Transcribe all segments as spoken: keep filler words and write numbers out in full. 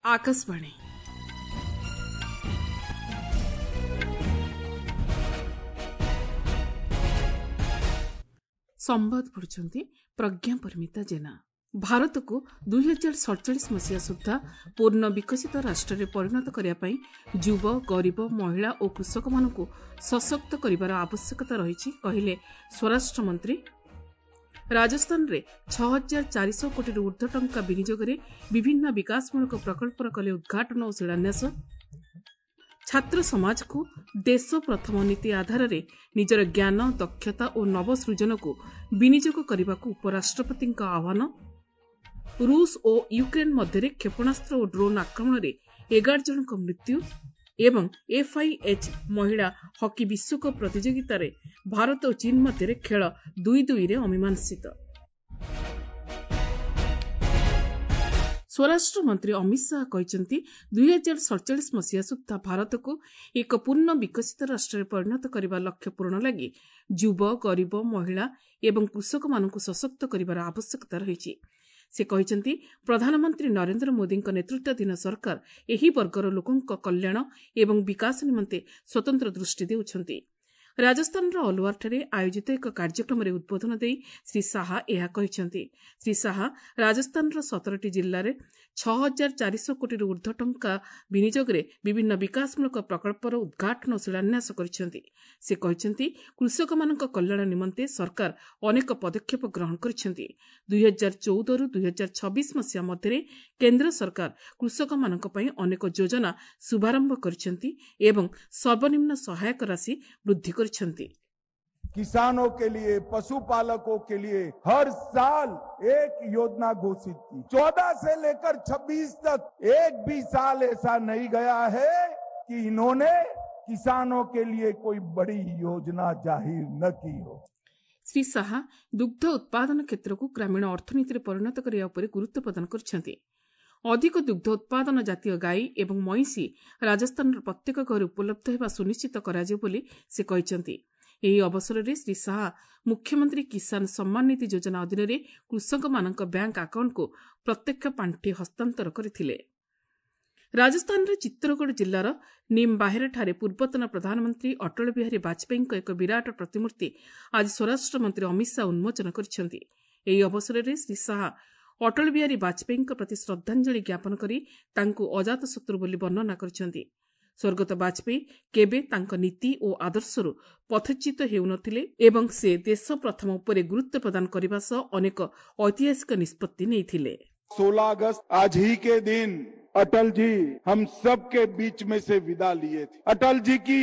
ଆକାଶବାଣୀ ସମ୍ବାଦ ପଢୁଛନ୍ତି ପ୍ରଜ୍ଞା ପରିମିତା ଜେନା। ଭାରତକୁ ଦୁଇ ହଜାର ସଡ଼ଚାଳିଶ ମସିହା ସୁଦ୍ଧା ପୂର୍ଣ୍ଣ ବିକଶିତ ରାଷ୍ଟ୍ରରେ ପରିଣତ କରିବା ପାଇଁ ଯୁବ, ଗରିବ, ମହିଳା ଓ କୃଷକମାନଙ୍କୁ ସଶକ୍ତ କରିବାର ଆବଶ୍ୟକତା ରହିଛି, କହିଲେ ସ୍ୱରାଷ୍ଟ୍ର ମନ୍ତ୍ରୀ। ରାଜସ୍ଥାନରେ ଛଅ ହଜାର ଚାରିଶହ କୋଟିରୁ ଊର୍ଦ୍ଧ୍ୱ ଟଙ୍କା ବିନିଯୋଗରେ ବିଭିନ୍ନ ବିକାଶମୂଳକ ପ୍ରକଳ୍ପର କଲେ ଉଦ୍ଘାଟନ ଓ ଶିଳାନ୍ୟାସ। ଛାତ୍ର ସମାଜକୁ ଦେଶ ପ୍ରଥମ ନୀତି ଆଧାରରେ ନିଜର ଜ୍ଞାନ, ଦକ୍ଷତା ଓ ନବସୃଜନକୁ ବିନିଯୋଗ କରିବାକୁ ଉପରାଷ୍ଟ୍ରପତିଙ୍କ ଆହ୍ୱାନ। ରୁଷ ଓ ୟୁକ୍ରେନ୍ ମଧ୍ୟରେ କ୍ଷେପଣାସ୍ତ୍ର ଓ ଡ୍ରୋନ୍ ଆକ୍ରମଣରେ ଏଗାର ଜଣଙ୍କ ମୃତ୍ୟୁ ଏବଂ ଏଫ୍ଆଇଏଚ୍ ମହିଳା ହକି ବିଶ୍ୱକପ୍ ପ୍ରତିଯୋଗିତାରେ ଭାରତ ଓ ଚୀନ୍ ମଧ୍ୟରେ ଖେଳ ଦୁଇ ଦୁଇରେ ଅମୀମାଂସିତ। ସ୍ୱରାଷ୍ଟ୍ର ମନ୍ତ୍ରୀ ଅମିତ ଶାହା କହିଛନ୍ତି, ଦୁଇ ହଜାର ସଡ଼ଚାଳିଶ ମସିହା ସୁଦ୍ଧା ଭାରତକୁ ଏକ ପୂର୍ଣ୍ଣ ବିକଶିତ ରାଷ୍ଟ୍ରରେ ପରିଣତ କରିବା ଲକ୍ଷ୍ୟ ପୂରଣ ଲାଗି ଯୁବ, ଗରିବ, ମହିଳା ଏବଂ କୃଷକମାନଙ୍କୁ ସଶକ୍ତ କରିବାର ଆବଶ୍ୟକତା ରହିଛି। ସେ କହିଛନ୍ତି, ପ୍ରଧାନମନ୍ତ୍ରୀ ନରେନ୍ଦ୍ର ମୋଦିଙ୍କ ନେତୃତ୍ୱାଧୀନ ସରକାର ଏହି ବର୍ଗର ଲୋକଙ୍କ କଲ୍ୟାଣ ଏବଂ ବିକାଶ ନିମନ୍ତେ ସ୍ୱତନ୍ତ୍ର ଦୃଷ୍ଟି ଦେଉଛନ୍ତି। ରାଜସ୍ଥାନର ଅଲୱାରଠାରେ ଆୟୋଜିତ ଏକ କାର୍ଯ୍ୟକ୍ରମରେ ଉଦ୍ବୋଧନ ଦେଇ ଶ୍ରୀ ଶାହା ଏହା କହିଛନ୍ତି। ଶ୍ରୀ ଶାହା ରାଜସ୍ଥାନର ସତରଟି ଜିଲ୍ଲାରେ ଛଅ ହଜାର ଚାରିଶହ କୋଟିରୁ ଊର୍ଦ୍ଧ୍ୱ ଟଙ୍କା ବିନିଯୋଗରେ ବିଭିନ୍ନ ବିକାଶମୂଳକ ପ୍ରକଳ୍ପର ଉଦ୍ଘାଟନ ଓ ଶିଳାନ୍ୟାସ କରିଛନ୍ତି। ସେ କହିଛନ୍ତି, କୃଷକମାନଙ୍କ କଲ୍ୟାଣ ନିମନ୍ତେ ସରକାର ଅନେକ ପଦକ୍ଷେପ ଗ୍ରହଣ କରିଛନ୍ତି। ଦୁଇ ହଜାର ଚଉଦରୁ ଦୁଇ ହଜାର ଛବିଶ ମସିହା ମଧ୍ୟରେ କେନ୍ଦ୍ର ସରକାର କୃଷକମାନଙ୍କ ପାଇଁ ଅନେକ ଯୋଜନା ଶୁଭାରମ୍ଭ କରିଛନ୍ତି ଏବଂ ସର୍ବନିମ୍ନ ସହାୟକ ରାଶି ବୃଦ୍ଧି କରିଛନ୍ତି। किसानों के लिए, पशुपालकों के लिए हर साल एक योजना घोषित की। चौदह से लेकर छब्बीस तक एक भी साल ऐसा नहीं गया है कि इन्होंने किसानों के लिए कोई बड़ी योजना जाहिर न की हो। ଶ୍ରୀ ଶାହା ଦୁଗ୍ଧ ଉତ୍ପାଦନ କ୍ଷେତ୍ରକୁ ଗ୍ରାମୀଣ ଅର୍ଥନୀତିରେ ପରିଣତ କରିବା ଉପରେ ଗୁରୁତ୍ୱ ପ୍ରଦାନ କରିଛନ୍ତି। ଅଧିକ ଦୁଗ୍ଧ ଉତ୍ପାଦନ ଜାତୀୟ ଗାଈ ଏବଂ ମଇଁଷି ରାଜସ୍ଥାନର ପ୍ରତ୍ୟେକ ଘରେ ଉପଲବ୍ଧ ହେବା ସୁନିଶ୍ଚିତ କରାଯିବ ବୋଲି ସେ କହିଛନ୍ତି। ଏହି ଅବସରରେ ଶ୍ରୀ ଶାହା ମୁଖ୍ୟମନ୍ତ୍ରୀ କିଷାନ ସମ୍ମାନ ନିଧି ଯୋଜନା ଅଧୀନରେ କୃଷକମାନଙ୍କ ବ୍ୟାଙ୍କ ଆକାଉଣ୍ଟକୁ ପ୍ରତ୍ୟକ୍ଷ ପାଣ୍ଠି ହସ୍ତାନ୍ତର କରିଥିଲେ। ରାଜସ୍ଥାନର ଚିତ୍ତୋରଗଡ଼ ଜିଲ୍ଲାର ନିମ୍ବାହେରାଠାରେ ପୂର୍ବତନ ପ୍ରଧାନମନ୍ତ୍ରୀ ଅଟଳ ବିହାରୀ ବାଜପେୟୀଙ୍କ ଏକ ବିରାଟ ପ୍ରତିମୂର୍ତ୍ତି ଆଜି ସ୍ୱରାଷ୍ଟ୍ର ମନ୍ତ୍ରୀ ଅମିତ ଶାହା ଉନ୍ମୋଚନ କରିଛନ୍ତି। ଏହି ଅବସରରେ ଶ୍ରୀ ଶାହା ଅଟଳ ବିହାରୀ ବାଜପେୟୀଙ୍କ ପ୍ରତି ଶ୍ରଦ୍ଧାଞ୍ଜଳି ଜ୍ଞାପନ କରି ତାଙ୍କୁ ଅଜାତଶତ୍ରୁ ବୋଲି ବର୍ଣ୍ଣନା କରିଛନ୍ତି। ସ୍ୱର୍ଗତ ବାଜପେୟୀ କେବେ ତାଙ୍କ ନୀତି ଓ ଆଦର୍ଶରୁ ପଥଚ୍ୟୁତ ହେଉନଥିଲେ ଏବଂ ସେ ଦେଶ ପ୍ରଥମ ଉପରେ ଗୁରୁତ୍ୱ ପ୍ରଦାନ କରିବା ସହ ଅନେକ ଐତିହାସିକ ନିଷ୍ପତ୍ତି ନେଇଥିଲେ। सोलह अगस्त आज ही के दिन अटल जी हम सबके बीच में से विदा लिए थे। अटल जी की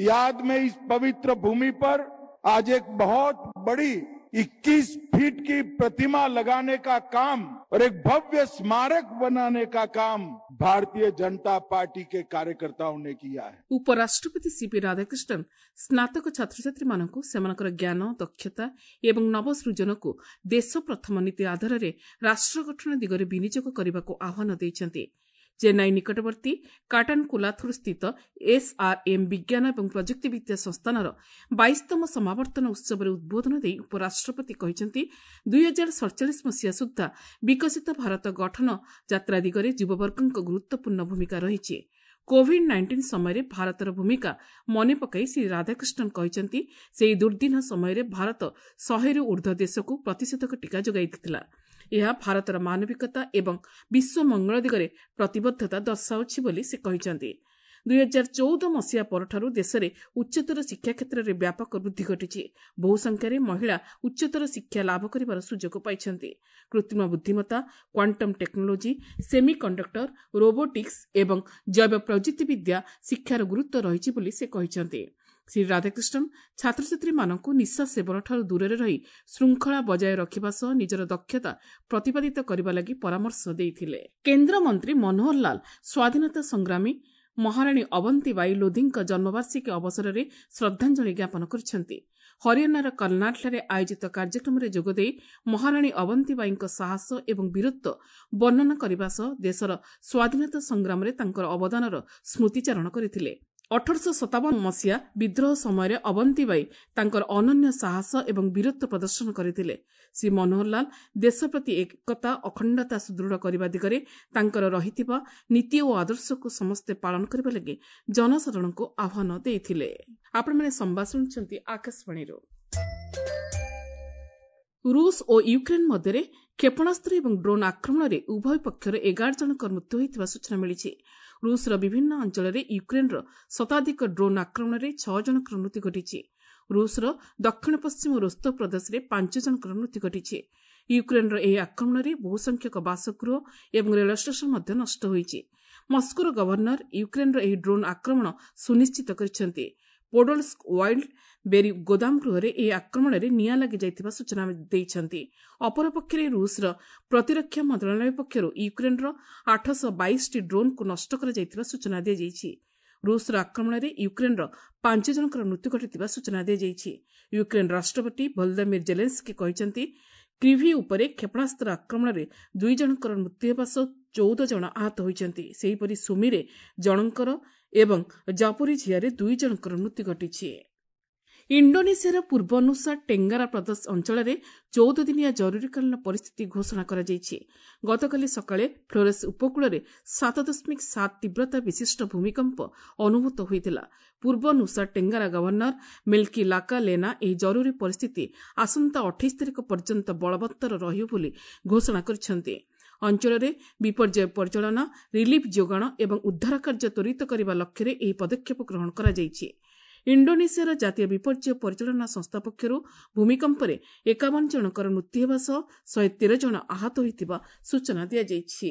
याद में इस पवित्र भूमि पर आज एक बहुत बड़ी इक्कीस फीट की प्रतिमा लगाने का काम और एक भव्य स्मारक बनाने का काम भारतीय जनता पार्टी के कार्यकर्ताओं ने किया है। ଉପରାଷ୍ଟ୍ରପତି ସିପି ରାଧାକ୍ରିଷ୍ଣନ୍ ସ୍ନାତକ ଛାତ୍ରଛାତ୍ରୀମାନଙ୍କୁ ସେମାନଙ୍କର ଜ୍ଞାନ, ଦକ୍ଷତା ଏବଂ ନବସୃଜନକୁ ଦେଶ ପ୍ରଥମ ନୀତି ଆଧାରରେ ରାଷ୍ଟ୍ର ଗଠନ ଦିଗରେ ବିନିଯୋଗ କରିବାକୁ ଆହ୍ୱାନ ଦେଇଛନ୍ତି। ଚେନ୍ନାଇ ନିକଟବର୍ତ୍ତୀ କାଟାନକୁଲାଥୁର ସ୍ଥିତ ଏସ୍ଆର୍ଏମ୍ ବିଜ୍ଞାନ ଏବଂ ପ୍ରଯୁକ୍ତିବିଦ୍ୟା ସଂସ୍ଥାନର ବାଇଶତମ ସମାବର୍ତ୍ତନ ଉତ୍ସବରେ ଉଦ୍ବୋଧନ ଦେଇ ଉପରାଷ୍ଟ୍ରପତି କହିଛନ୍ତି, ଦୁଇ ହଜାର ସଡ଼ଚାଳିଶ ମସିହା ସୁଦ୍ଧା ବିକଶିତ ଭାରତ ଗଠନ ଯାତ୍ରା ଦିଗରେ ଯୁବବର୍ଗଙ୍କ ଗୁରୁତ୍ୱପୂର୍ଣ୍ଣ ଭୂମିକା ରହିଛି। କୋଭିଡ୍ ନାଇଣ୍ଟିନ୍ ସମୟରେ ଭାରତର ଭୂମିକା ମନେ ପକାଇ ଶ୍ରୀ ରାଧାକ୍ରିଷ୍ଣନ୍ କହିଛନ୍ତି, ସେହି ଦୁର୍ଦ୍ଦିନ ସମୟରେ ଭାରତ ଶହେରୁ ଊର୍ଦ୍ଧ୍ୱ ଦେଶକୁ ପ୍ରତିଷେଧକ ଟିକା ଯୋଗାଇ ଦେଇଥିଲା। ଏହା ଭାରତର ମାନବିକତା ଏବଂ ବିଶ୍ୱ ମଙ୍ଗଳ ଦିଗରେ ପ୍ରତିବଦ୍ଧତା ଦର୍ଶାଉଛି ବୋଲି ସେ କହିଛନ୍ତି। ଦୁଇ ହଜାର ଚଉଦ ମସିହା ପରଠାରୁ ଦେଶରେ ଉଚ୍ଚତର ଶିକ୍ଷା କ୍ଷେତ୍ରରେ ବ୍ୟାପକ ବୃଦ୍ଧି ଘଟିଛି। ବହୁ ସଂଖ୍ୟାରେ ମହିଳା ଉଚ୍ଚତର ଶିକ୍ଷା ଲାଭ କରିବାର ସୁଯୋଗ ପାଇଛନ୍ତି। କୃତ୍ରିମ ବୁଦ୍ଧିମତ୍ତା, କ୍ୱାଣ୍ଟମ୍ ଟେକ୍ନୋଲୋଜି, ସେମି କଣ୍ଡକ୍ଟର, ରୋବୋଟିକ୍ସ ଏବଂ ଜୈବ ପ୍ରଯୁକ୍ତିବିଦ୍ୟା ଶିକ୍ଷାର ଗୁରୁତ୍ୱ ରହିଛି ବୋଲି ସେ କହିଛନ୍ତି। ଶ୍ରୀ ରାଧାକ୍ରିଷ୍ଣନ୍ ଛାତ୍ରଛାତ୍ରୀମାନଙ୍କୁ ନିଶା ସେବନଠାରୁ ଦୂରରେ ରହି ଶୃଙ୍ଖଳା ବଜାୟ ରଖିବା ସହ ନିଜର ଦକ୍ଷତା ପ୍ରତିପାଦିତ କରିବା ଲାଗି ପରାମର୍ଶ ଦେଇଥିଲେ। କେନ୍ଦ୍ରମନ୍ତ୍ରୀ ମନୋହର ଲାଲ ସ୍ୱାଧୀନତା ସଂଗ୍ରାମୀ ମହାରାଣୀ ଅବନ୍ତୀବାଇ ଲୋଧିଙ୍କ ଜନ୍ମବାର୍ଷିକୀ ଅବସରରେ ଶ୍ରଦ୍ଧାଞ୍ଜଳି ଜ୍ଞାପନ କରିଛନ୍ତି। ହରିୟାଣାର କର୍ଣ୍ଣାଲଠାରେ ଆୟୋଜିତ କାର୍ଯ୍ୟକ୍ରମରେ ଯୋଗଦେଇ ମହାରାଣୀ ଅବନ୍ତୀବାଈଙ୍କ ସାହସ ଏବଂ ବୀରତ୍ୱ ବର୍ଣ୍ଣନା କରିବା ସହ ଦେଶର ସ୍ୱାଧୀନତା ସଂଗ୍ରାମରେ ତାଙ୍କର ଅବଦାନର ସ୍ମୃତିଚାରଣ କରିଥିଲେ। ଅଠରଶହ ସତାବନ ମସିହା ବିଦ୍ରୋହ ସମୟରେ ଅବନ୍ତୀବାଇ ତାଙ୍କର ଅନନ୍ୟ ସାହସ ଏବଂ ବୀରତ୍ୱ ପ୍ରଦର୍ଶନ କରିଥିଲେ। ଶ୍ରୀ ମନୋହରଲାଲ ଦେଶ ପ୍ରତି ଏକତା, ଅଖଣ୍ଡତା ସୁଦୃଢ଼ କରିବା ଦିଗରେ ତାଙ୍କର ରହିଥିବା ନୀତି ଓ ଆଦର୍ଶକୁ ସମସ୍ତେ ପାଳନ କରିବା ଲାଗି ଜନସାଧାରଣଙ୍କୁ ଆହ୍ୱାନ ଦେଇଥିଲେ। ଆପଣମାନେ ସମ୍ବାଦ ଶୁଣୁଛନ୍ତି ଆକାଶବାଣୀରୁ। ରୁଷ ଓ ୟୁକ୍ରେନ୍ ମଧ୍ୟରେ କ୍ଷେପଣାସ୍ତ୍ର ଏବଂ ଡ୍ରୋନ୍ ଆକ୍ରମଣରେ ଉଭୟ ପକ୍ଷର ଏଗାର ଜଣଙ୍କ ମୃତ୍ୟୁ ହୋଇଥିବା ସୂଚନା ମିଳିଛି। ରୁଷର ବିଭିନ୍ନ ଅଞ୍ଚଳରେ ୟୁକ୍ରେନ୍ର ଶତାଧିକ ଡ୍ରୋନ୍ ଆକ୍ରମଣରେ ଛଅ ଜଣଙ୍କର ମୃତ୍ୟୁ ଘଟିଛି। ରୁଷର ଦକ୍ଷିଣ ପଶ୍ଚିମ ରୋସ୍ତୋଭ ପ୍ରଦେଶରେ ପାଞ୍ଚ ଜଣଙ୍କର ମୃତ୍ୟୁ ଘଟିଛି। ୟୁକ୍ରେନ୍ର ଏହି ଆକ୍ରମଣରେ ବହୁସଂଖ୍ୟକ ବାସଗୃହ ଏବଂ ରେଳ ଷ୍ଟେସନ ମଧ୍ୟ ନଷ୍ଟ ହୋଇଛି। ମସ୍କୋର ଗଭର୍ଣ୍ଣର ୟୁକ୍ରେନ୍ର ଏହି ଡ୍ରୋନ୍ ଆକ୍ରମଣ ସୁନିଶ୍ଚିତ କରିଛନ୍ତି। ପୋଡୋଲ୍ସ୍କ ୱାଇଲ୍ଡ ବେରି ଗୋଦାମ ଗୃହରେ ଏହି ଆକ୍ରମଣରେ ନିଆଁ ଲାଗିଯାଇଥିବା ସୂଚନା ଦେଇଛନ୍ତି। ଅପରପକ୍ଷରେ ରୁଷର ପ୍ରତିରକ୍ଷା ମନ୍ତ୍ରଣାଳୟ ପକ୍ଷରୁ ୟୁକ୍ରେନ୍ର ଆଠଶହ ବାଇଶଟି ଡ୍ରୋନ୍କୁ ନଷ୍ଟ କରାଯାଇଥିବା ସୂଚନା ଦିଆଯାଇଛି। ରୁଷର ଆକ୍ରମଣରେ ୟୁକ୍ରେନ୍ର ପାଞ୍ଚ ଜଣଙ୍କର ମୃତ୍ୟୁ ଘଟିଥିବା ସୂଚନା ଦିଆଯାଇଛି। ୟୁକ୍ରେନ୍ ରାଷ୍ଟ୍ରପତି ଭୋଲଦିମିର ଜେଲେନ୍ସ୍କି କହିଛନ୍ତି, କ୍ରିଭି ଉପରେ କ୍ଷେପଣାସ୍ତ୍ର ଆକ୍ରମଣରେ ଦୁଇ ଜଣଙ୍କର ମୃତ୍ୟୁ ହେବା ସହ ଚଉଦ ଜଣ ଆହତ ହୋଇଛନ୍ତି। ସେହିପରି ସୁମିରେ ଜଣଙ୍କର ଏବଂ ଜାପୋରିଝିଆରେ ଦୁଇ ଜଣଙ୍କର ମୃତ୍ୟୁ ଘଟିଛି। ଇଣ୍ଡୋନେସିଆର ପୂର୍ବ ନୁସା ଟେଙ୍ଗାରା ପ୍ରଦେଶ ଅଞ୍ଚଳରେ ଚଉଦ ଦିନିଆ ଜରୁରୀକାଳୀନ ପରିସ୍ଥିତି ଘୋଷଣା କରାଯାଇଛି। ଗତକାଲି ସକାଳେ ଫ୍ଲୋରେସ୍ ଉପକୂଳରେ ସାତ ଦଶମିକ ସାତ ତୀବ୍ରତା ବିଶିଷ୍ଟ ଭୂମିକମ୍ପ ଅନୁଭୂତ ହୋଇଥିଲା। ପୂର୍ବ ନୁସା ଟେଙ୍ଗାରା ଗଭର୍ଣ୍ଣର ମିଲ୍କି ଲାକା ଲେନା ଏହି ଜରୁରୀ ପରିସ୍ଥିତି ଆସନ୍ତା ଅଠେଇଶ ତାରିଖ ପର୍ଯ୍ୟନ୍ତ ବଳବତ୍ତର ରହିବ ବୋଲି ଘୋଷଣା କରିଛନ୍ତି। ଅଞ୍ଚଳରେ ବିପର୍ଯ୍ୟୟ ପରିଚାଳନା, ରିଲିଫ୍ ଯୋଗାଣ ଏବଂ ଉଦ୍ଧାର କାର୍ଯ୍ୟ ତ୍ୱରିତ କରିବା ଲକ୍ଷ୍ୟରେ ଏହି ପଦକ୍ଷେପ ଗ୍ରହଣ କରାଯାଇଛି। ଇଣ୍ଡୋନେସିଆର ଜାତୀୟ ବିପର୍ଯ୍ୟୟ ପରିଚାଳନା ସଂସ୍ଥା ପକ୍ଷରୁ ଭୂମିକମ୍ପରେ ଏକାବନ ଜଣଙ୍କର ମୃତ୍ୟୁ ହେବା ସହ ଶହେ ତେର ଜଣ ଆହତ ହୋଇଥିବା ସୂଚନା ଦିଆଯାଇଛି।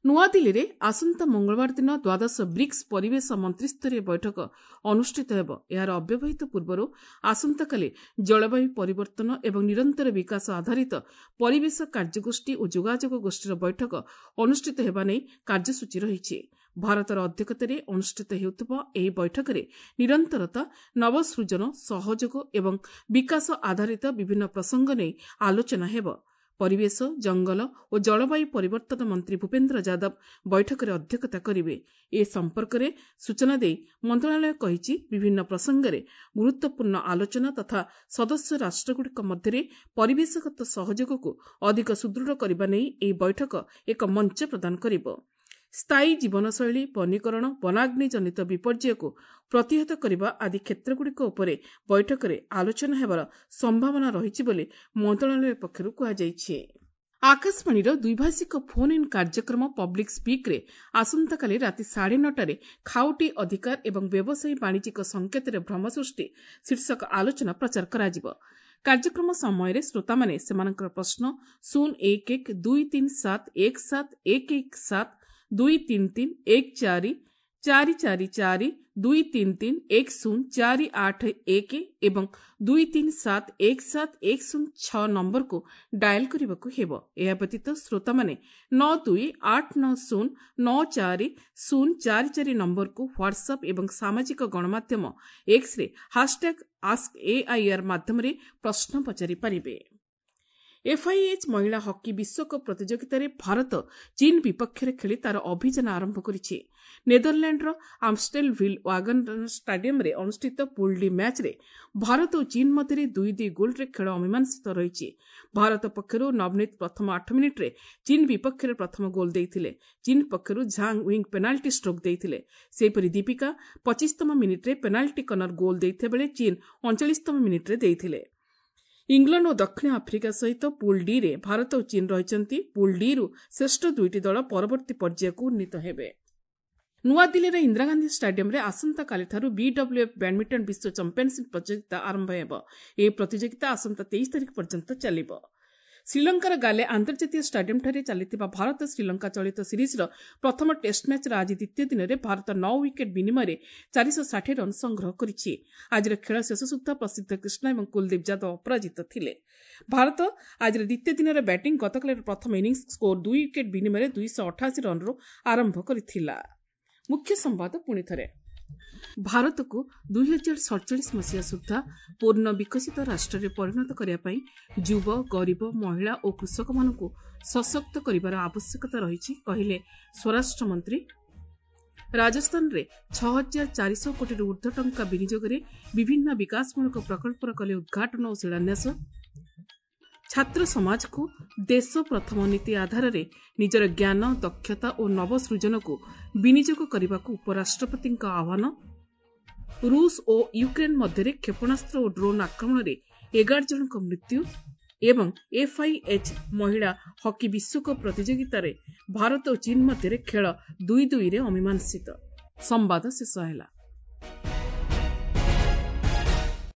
ନୂଆଦିଲ୍ଲୀରେ ଆସନ୍ତା ମଙ୍ଗଳବାର ଦିନ ଦ୍ୱାଦଶ ବ୍ରିକ୍ସ ପରିବେଶ ମନ୍ତ୍ରିସ୍ତରୀୟ ବୈଠକ ଅନୁଷ୍ଠିତ ହେବ। ଏହାର ଅବ୍ୟବହିତ ପୂର୍ବରୁ ଆସନ୍ତାକାଲି ଜଳବାୟୁ ପରିବର୍ତ୍ତନ ଏବଂ ନିରନ୍ତର ବିକାଶ ଆଧାରିତ ପରିବେଶ କାର୍ଯ୍ୟଗୋଷ୍ଠୀ ଓ ଯୋଗାଯୋଗ ଗୋଷ୍ଠୀର ବୈଠକ ଅନୁଷ୍ଠିତ ହେବା ନେଇ କାର୍ଯ୍ୟସୂଚୀ ରହିଛି। ଭାରତର ଅଧ୍ୟକ୍ଷତାରେ ଅନୁଷ୍ଠିତ ହେଉଥିବା ଏହି ବୈଠକରେ ନିରନ୍ତରତା, ନବସୃଜନ, ସହଯୋଗ ଏବଂ ବିକାଶ ଆଧାରିତ ବିଭିନ୍ନ ପ୍ରସଙ୍ଗ ନେଇ ଆଲୋଚନା ହେବ। ପରିବେଶ, ଜଙ୍ଗଲ ଓ ଜଳବାୟୁ ପରିବର୍ତ୍ତନ ମନ୍ତ୍ରୀ ଭୂପେନ୍ଦ୍ର ଯାଦବ ବୈଠକରେ ଅଧ୍ୟକ୍ଷତା କରିବେ। ଏ ସମ୍ପର୍କରେ ସୂଚନା ଦେଇ ମନ୍ତ୍ରଣାଳୟ କହିଛି, ବିଭିନ୍ନ ପ୍ରସଙ୍ଗରେ ଗୁରୁତ୍ୱପୂର୍ଣ୍ଣ ଆଲୋଚନା ତଥା ସଦସ୍ୟ ରାଷ୍ଟ୍ରଗୁଡ଼ିକ ମଧ୍ୟରେ ପରିବେଶଗତ ସହଯୋଗକୁ ଅଧିକ ସୁଦୃଢ଼ କରିବା ନେଇ ଏହି ବୈଠକ ଏକ ମଞ୍ଚ ପ୍ରଦାନ କରିବ। ସ୍ଥାୟୀ ଜୀବନଶୈଳୀ, ବନୀକରଣ, ବନାଗ୍ନିଜନିତ ବିପର୍ଯ୍ୟୟକୁ ପ୍ରତିହତ କରିବା ଆଦି କ୍ଷେତ୍ରଗୁଡ଼ିକ ଉପରେ ବୈଠକରେ ଆଲୋଚନା ହେବାର ସମ୍ଭାବନା ରହିଛି ବୋଲି ମନ୍ତ୍ରଣାଳୟ ପକ୍ଷରୁ କୁହାଯାଇଛି। ଆକାଶବାଣୀର ଦ୍ୱିଭାଷିକ ଫୋନ୍ ଇନ୍ କାର୍ଯ୍ୟକ୍ରମ ପବ୍ଲିକ୍ ସ୍ପିକ୍ରେ ଆସନ୍ତାକାଲି ରାତି ସାଢ଼େ ନଅଟାରେ ଖାଉଟି ଅଧିକାର ଏବଂ ବ୍ୟବସାୟୀ ବାଣିଜ୍ୟିକ ସଂକେତରେ ଭ୍ରମ ସୃଷ୍ଟି ଶୀର୍ଷକ ଆଲୋଚନା ପ୍ରଚାର କରାଯିବ। କାର୍ଯ୍ୟକ୍ରମ ସମୟରେ ଶ୍ରୋତାମାନେ ସେମାନଙ୍କର ପ୍ରଶ୍ନ ଶୂନ ଏକ ଏକ ଦୁଇ ତିନି ସାତ ଏକ ସାତ ଏକ ଏକ ସାତ, ଦୁଇ ତିନି ତିନି ଏକ ଚାରି ଚାରି ଚାରି ଚାରି, ଦୁଇ ତିନି ତିନି ଏକ ଶୂନ ଚାରି ଆଠ ଏକ ଏବଂ ଦୁଇ ତିନି ସାତ ଏକ ସାତ ଏକ ଶୂନ ଛଅ ନମ୍ବରକୁ ଡାଏଲ୍ କରିବାକୁ ହେବ। ଏହା ବ୍ୟତୀତ ଶ୍ରୋତାମାନେ ନଅ ଦୁଇ ଆଠ ନଅ ଶୂନ ନଅ ଚାରି ଶୂନ ଚାରି ଚାରି ନମ୍ବରକୁ ହ୍ୱାଟ୍ସଆପ୍ ଏବଂ ସାମାଜିକ ଗଣମାଧ୍ୟମ ଏକ୍ସରେ ହାସଟ୍ୟାଗ୍ ଆସ୍କ ଏଆଇଆର୍ ମାଧ୍ୟମରେ ପ୍ରଶ୍ନ ପଚାରିପାରିବେ। ଏଫ୍ଆଇଏଚ୍ ମହିଳା ହକି ବିଶ୍ୱକପ୍ ପ୍ରତିଯୋଗିତାରେ ଭାରତ ଚୀନ୍ ବିପକ୍ଷରେ ଖେଳି ତା'ର ଅଭିଯାନ ଆରମ୍ଭ କରିଛି। ନେଦରଲ୍ୟାଣ୍ଡର ଆମଷ୍ଟେଲଭିଲ୍ ୱାଗନ ଷ୍ଟାଡିୟମରେ ଅନୁଷ୍ଠିତ ପୁଲ୍ ଡି ମ୍ୟାଚ୍ରେ ଭାରତ ଓ ଚୀନ୍ ମଧ୍ୟରେ ଦୁଇ ଦୁଇ ଗୋଲ୍ରେ ଖେଳ ଅମୀମାଂସିତ ରହିଛି। ଭାରତ ପକ୍ଷରୁ ନବନୀତ ପ୍ରଥମ ଆଠ ମିନିଟ୍ରେ ଚୀନ୍ ବିପକ୍ଷରେ ପ୍ରଥମ ଗୋଲ୍ ଦେଇଥିଲେ। ଚୀନ୍ ପକ୍ଷରୁ ଝାଙ୍ଗ ୱିଙ୍ଗ ପେନାଲ୍ଟି ଷ୍ଟ୍ରୋକ୍ ଦେଇଥିଲେ। ସେହିପରି ଦୀପିକା ପଚିଶତମ ମିନିଟ୍ରେ ପେନାଲ୍ଟି କର୍ଣ୍ଣର ଗୋଲ୍ ଦେଇଥିବା ବେଳେ ଚୀନ୍ ଅଣଚାଳିଶତମ ମିନିଟ୍ରେ ଦେଇଥିଲେ। ଇଂଲଣ୍ଡ ଓ ଦକ୍ଷିଣ ଆଫ୍ରିକା ସହିତ ପୁଲ୍ ଡିରେ ଭାରତ ଓ ଚୀନ୍ ରହିଛନ୍ତି। ପୁଲ୍ ଡିରୁ ଶ୍ରେଷ୍ଠ ଦୁଇଟି ଦଳ ପରବର୍ତ୍ତୀ ପର୍ଯ୍ୟାୟକୁ ଉନ୍ନୀତ ହେବେ। ନୂଆଦିଲ୍ଲୀର ଇନ୍ଦିରାଗାନ୍ଧୀ ଷ୍ଟାଡିୟମରେ ଆସନ୍ତାକାଲିଠାରୁ ବିଡବ୍ଲ୍ୟୁଏଫ୍ ବ୍ୟାଡମିଣ୍ଟନ ବିଶ୍ୱ ଚାମ୍ପିୟନସିପ୍ ପ୍ରତିଯୋଗିତା ଆରମ୍ଭ ହେବ। ଏହି ପ୍ରତିଯୋଗିତା ଆସନ୍ତା ତେଇଶ ତାରିଖ ପର୍ଯ୍ୟନ୍ତ ଚାଲିବ। ଶ୍ରୀଲଙ୍କାର ଗାଲେ ଆନ୍ତର୍ଜାତୀୟ ଷ୍ଟାଡିୟମଠାରେ ଚାଲିଥିବା ଭାରତ ଶ୍ରୀଲଙ୍କା ଚଳିତ ସିରିଜ୍ର ପ୍ରଥମ ଟେଷ୍ଟ ମ୍ୟାଚ୍ର ଆଜି ଦ୍ୱିତୀୟ ଦିନରେ ଭାରତ ନଅ ୱିକେଟ୍ ବିନିମୟରେ ଚାରିଶହ ଷାଠିଏ ରନ୍ ସଂଗ୍ରହ କରିଛି। ଆଜିର ଖେଳ ଶେଷ ସୁଦ୍ଧା ପ୍ରସିଦ୍ଧ କୃଷ୍ଣା ଏବଂ କୁଲଦୀପ ଯାଦବ ଅପରାଜିତ ଥିଲେ। ଭାରତ ଆଜିର ଦ୍ୱିତୀୟ ଦିନର ବ୍ୟାଟିଂ ଗତକାଲିର ପ୍ରଥମ ଇନିଂସ ସ୍କୋର ଦୁଇ ୱିକେଟ୍ ବିନିମୟରେ ଦୁଇଶହ ଅଠାଅଶୀ ରନ୍ରୁ ଆରମ୍ଭ କରିଥିଲା। ମୁଖ୍ୟ ସମ୍ବାଦ ପୁଣିଥରେ। ଭାରତକୁ ଦୁଇ ହଜାର ସଡ଼ଚାଳିଶ ମସିହା ସୁଦ୍ଧା ପୂର୍ଣ୍ଣ ବିକଶିତ ରାଷ୍ଟ୍ରରେ ପରିଣତ କରିବା ପାଇଁ ଯୁବ, ଗରିବ, ମହିଳା ଓ କୃଷକମାନଙ୍କୁ ସଶକ୍ତ କରିବାର ଆବଶ୍ୟକତା ରହିଛି, କହିଲେ ସ୍ୱରାଷ୍ଟ୍ରମନ୍ତ୍ରୀ। ରାଜସ୍ଥାନରେ ଛଅ ହଜାର ଚାରିଶହ କୋଟିରୁ ଉର୍ଦ୍ଧ୍ୱ ଟଙ୍କା ବିନିଯୋଗରେ ବିଭିନ୍ନ ବିକାଶମୂଳକ ପ୍ରକଳ୍ପର କଲେ ଉଦ୍ଘାଟନ ଓ ଶିଳାନ୍ୟାସ। ଛାତ୍ର ସମାଜକୁ ଦେଶ ପ୍ରଥମ ନୀତି ଆଧାରରେ ନିଜର ଜ୍ଞାନ, ଦକ୍ଷତା ଓ ନବସୃଜନକୁ ବିନିଯୋଗ କରିବାକୁ ଉପରାଷ୍ଟ୍ରପତିଙ୍କ ଆହ୍ୱାନ। ରୁଷ ଓ ୟୁକ୍ରେନ୍ ମଧ୍ୟରେ କ୍ଷେପଣାସ୍ତ୍ର ଓ ଡ୍ରୋନ୍ ଆକ୍ରମଣରେ ଏଗାର ଜଣଙ୍କ ମୃତ୍ୟୁ ଏବଂ ଏଫ୍ଆଇଏଚ୍ ମହିଳା ହକି ବିଶ୍ୱକପ୍ ପ୍ରତିଯୋଗିତାରେ ଭାରତ ଓ ଚୀନ୍ ମଧ୍ୟରେ ଖେଳ ଦୁଇ ଦୁଇରେ ଅମୀମାଂସିତ। ସମ୍ବାଦ ଶେଷ ହେଲା।